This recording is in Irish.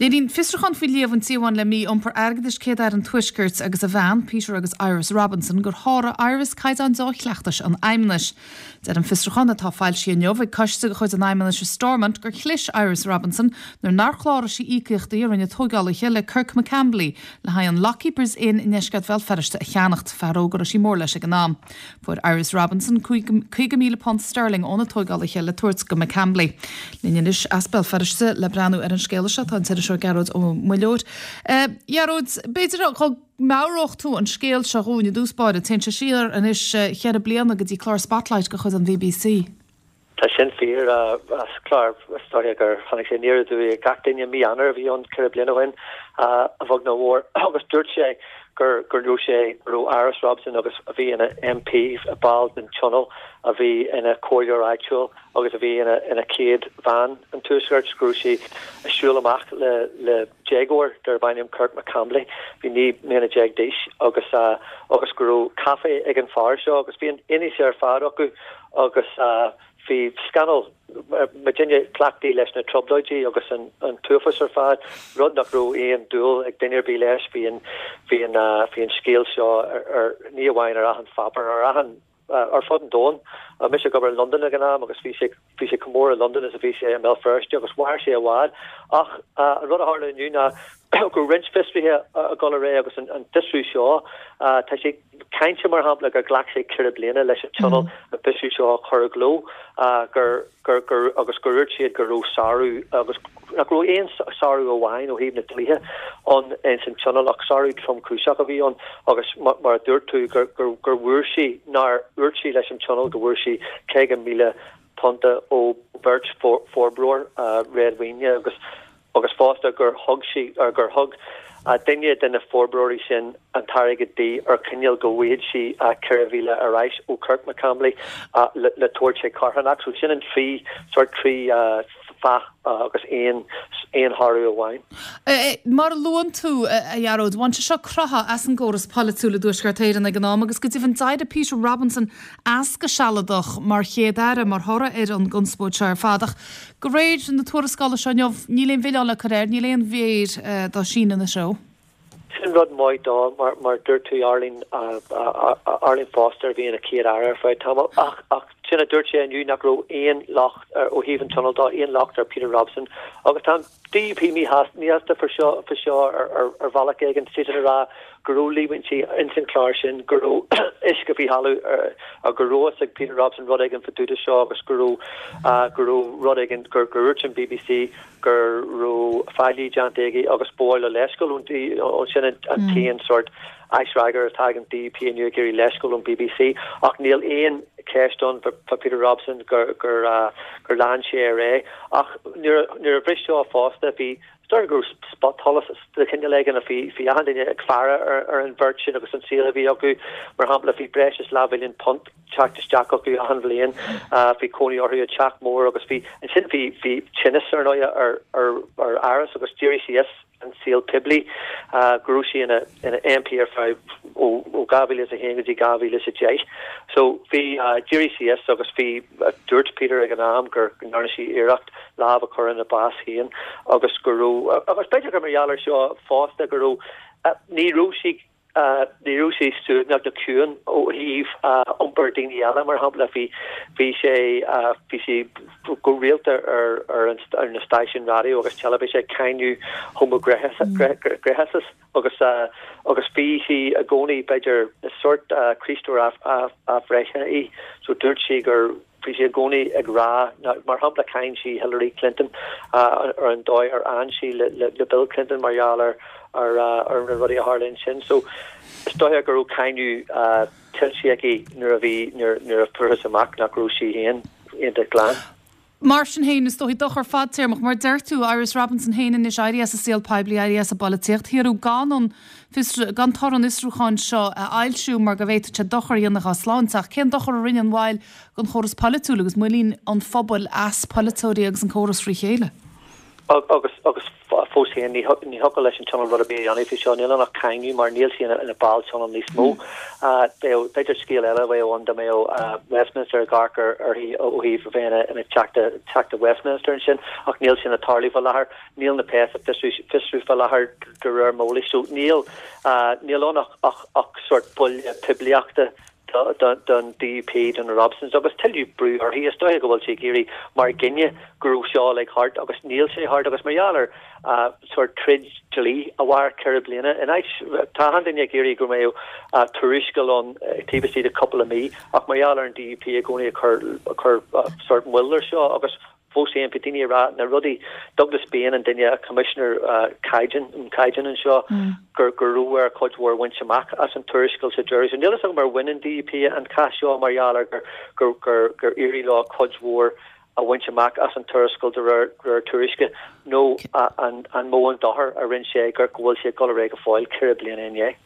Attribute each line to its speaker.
Speaker 1: Léiríonn fiosrúchán faoi líomhain a bhain le mí-iompar airgeadais Céad-Aire an Tuaiscirt agus a bhean, Peter agus Iris Robinson, gur sháraigh Iris caighdeáin deá-chleachtais an Fheidhmeannais. Deir an fiosrúchán, atá foilsithe inniu ag coiste de chuid an Fheidhmeannais i Stormont, gur chlis Iris Robinson nuair nár chláraigh sí íocaíochtaí a rinne tógálaithe le Kirk McCambley le haghaidh an Lockkeepers Inn i ndeisceart Bhéal Feirste a cheannacht, fear óg a raibh sí mór leis ag an am. Fuair Iris Robinson £50,000 sterling ó na tógálaithe le tabhairt go McCambley. Linn anois as Béal Feirste le breathnú ar an scéala seo tá an t-iriseoir Gearóid Ó Muilleoir. A Ghearóid, b'fhéidir go meabhródh tú an scéal seo dhúinn i dtús báire. Téann sé siar anois cheithre bliana go dtí clár Spotlight de chuid an BBC.
Speaker 2: Tá sin fíor. As clár, is dóiche gur tháinig sé aniar aduaidh ar gach duine. Mí Eanáir a bhí ann 4 bliana ó shin, a bheag nó a mhór, agus dúirt sé gur go raibh sé, go raibh Iris Robinson agus a bhí ina MP, ball den Tionól, a bhí ina comhairleoir áitiúil agus a bhí ina ina céad bhean an Tuaiscirt, go raibh sí ag siúl amach le le déagóir darb ainm Kirk McCambley, bhí 19 mbliana d'aois agus agus go raibh caife ag an fear seo agus bhí an fhianaise ar fad acu agus bhí scannal muidinne cleachtaithe leis na trioblóidí agus an t-uafás ar fad, rud nach raibh aon dúil ag duine ar bith leis. Bhí an, bhí an, bhí an scéal seo ar, ní amháin ar achan pháipéar, ar achan, ar fud an domhain. Mise ag obair i Londain ag an am agus bhí sé, bhí sé chomh mór i Londain is a bhí sé i mBéal Feirste agus mhair sé i bhfad. Ach an rud a tharla inniu ná go raibh roinnt fiosruithe ag dul ar aghaidh agus an fiosrú seo, tá sé, cáinte, mar shampla, gur ghlac sé 4 bliana leis an Tionól an fiosrú seo a chur i gcló, gur, gur, gur, agus gur dhúirt siad go raibh sárú, agus nach raibh aon sárú amháin ó thaobh na dlíthe ann ins an Tionól ach sárú tromchúiseach a bhí ann agus mar a dúirt tú, gur, gur, gur bhfuair sí, nár dhúirt sí leis an Tionól go bhfuair sí £50,000 ó bheirt forbróir réadmhaoine agus. agus fosta gur thug sí, or gur thug duine de na forbróirí sin an t-airgead di ar choinníoll go bhfaigheadh sí 4,000 ar ais ó Kirk McCambley le tabhairt chuig carthanacht. So sin an trí, sórt trí fáth agus aon, aon shárú amháin.
Speaker 1: Mar a luann tú, a Ghearóid, bhain sé seo croitheadh as an gcóras polaitiúil i dTuaisceart Éireann ag an am agus go deimhin d'éirigh Peter Robinson as go sealadach mar Chéad-Aire mar thoradh ar an gconspóid seo ar fad. Ach De réir na tuarascála seo inniu, níl aon mhilleán le cur air, níl aon mhéar dá síneadh ina threo.
Speaker 2: Sin rud maith dó, mar mar dúirt tú, Arlene, Arlene Foster a bhí ina Céad-Aire ar feadh tamaill, ach ach sin a dúirt sé inniu nach raibh aon locht ó thaobh an Tionóil dó, aon locht ar Peter Robinson agus tá an DUP míshásta faoi seo faoi seo ar bhealach éigin, siadsan ag rá go raibh líomhaintí ins an chlár sin, go raibh uisce faoi thalamh, go raibh fhios ag Peter Robinson rud éigin fá dtaobh de seo agus go raibh, go raibh rud éigin, gur dhúirt an bbc go raibh faillí déanta aige agus ba mhaith leo leithscéal ón, sin an t-aon sórt aisfhreagra atá ag an DUP inniu ag iarraidh leithscéal ón bbc ach níl aon cheist ann fá Peter Robinson gur, gur, gur lean sé ar aghaidh ach nuair a bhris seo fosta bhí Is dóigh go raibh spotsholas de chineál éigin, bhí achan duine ag faire ar an bheirt sin agus an saol a bhí acu. Mar shampla, bhí breis is leathmhilliún punt teacht isteach acu achan bhliain, bhí cónaí orthu i dteach mór agus bhí, ansin bhí, bhí tinneas ar ndóigh ar, ar, ar Iris agus d'éirigh sí as an saol poiblí, go raibh sí ina, ina MP ar feadh ó, ó 2001 go dtí 2010. So bhí, d'éirigh sí as agus bhí, dúirt Peter ag an am gur ndearna sí iarracht lámh a chur ina bás féin agus go raibh, agus b'fhéidir gur mar gheall air seo fosta, go raibh, ní raibh sí, ní raibh sí suaimhneach nó ciúin ó thaobh iompar daoine eile, mar shampla, bhí, bhí sé, bhí sí go rialta ar, ar, ar na stáisiúin raidió agus teilifíse ag cáineadh homaighnéasachas agus, agus bhí sí i gcónaí, b'fhéidir, is sórt Críostóir athbhreithe í, so dúirt sí gur, Bhí sí i gcónaí ag rá, mar shampla, cháin sí Hillary Clinton ar an dóigh ar fhan sí le Bill Clinton mar gheall ar ar na rudaí a tharla ansin. So is dóiche go raibh cáineadh tuillte aici nuair a bhí, nuair a fuarthas amach nach raibh sí féin iontach glan.
Speaker 1: Mar sin féin, is dóichí dochar fadtéarmach, mar deir tú, Iris Robinson féin anois éirithe as an saol poiblí, éirithe as an bpolaitíocht, hiarradh gan an fiosrú, gan toradh an fhiosrúcháin seo a fhoilsiú mar go bhféadfadh sé dochar a dhéanamh dá sláinte. Ach cén dochar a rinne an mhoill don chóras polaitiúil agus muinín an phobail as polaiteoirí agus an córas frí chéile?
Speaker 2: Agus, agus. Fós féin, ní thiocfadh leis an Tionól rud ar bith a dhéanamh faoi seo. Níl ann ach cáineadh mar níl sí ina ball Tionóil níos mó. Bheadh, b'fhéidir scéal eile a bheadh ann dá mbeadh Westminster ag amharc uirthi ó thaobh a bheith ina Teachta, Teachta Westminster ansin, ach níl sin ag tarlú fá láthair. Níl na péas ag fiosrú fá láthair de réir m'eolais. So níl, níl ann ach, ach sórt buille poiblíochta don DUP, do na Robsons, agus tuilleadh brú uirthi. Is dóiche go bhfuil sí ag iarraidh mar gcinneadh go raibh seo uilig thart agus níl sé thart agus mar gheall ar sórt troid dlí a mhair 4 bliana in áit, tá achan duine ag iarraidh go mbeadh tuarascáil ann taobh istigh de cúpla mí ach mar gheall ar an DUP i gcónaí ag cur sórt moill ar seo agus Fós féin, bhí daoine ag rá na rudaí, Douglas Bain an duine, Coimisinéir Caighdeán, um Caighdeán anseo, gur go raibh air cuid mhór a bhaint amach as an tuarascáil sa deireadh. So níl fhios agam ar bhain an DUP an cath seo mar gheall ar gur gur gur gur éirigh leo cuid mhór a bhaint amach as an tuarascáil de réir réir tuairisce nó an an mó an dochar a rinne sé gur go bhfuil sé ag dul ar aghaidh go fóill 4 bliana i ndiaidh.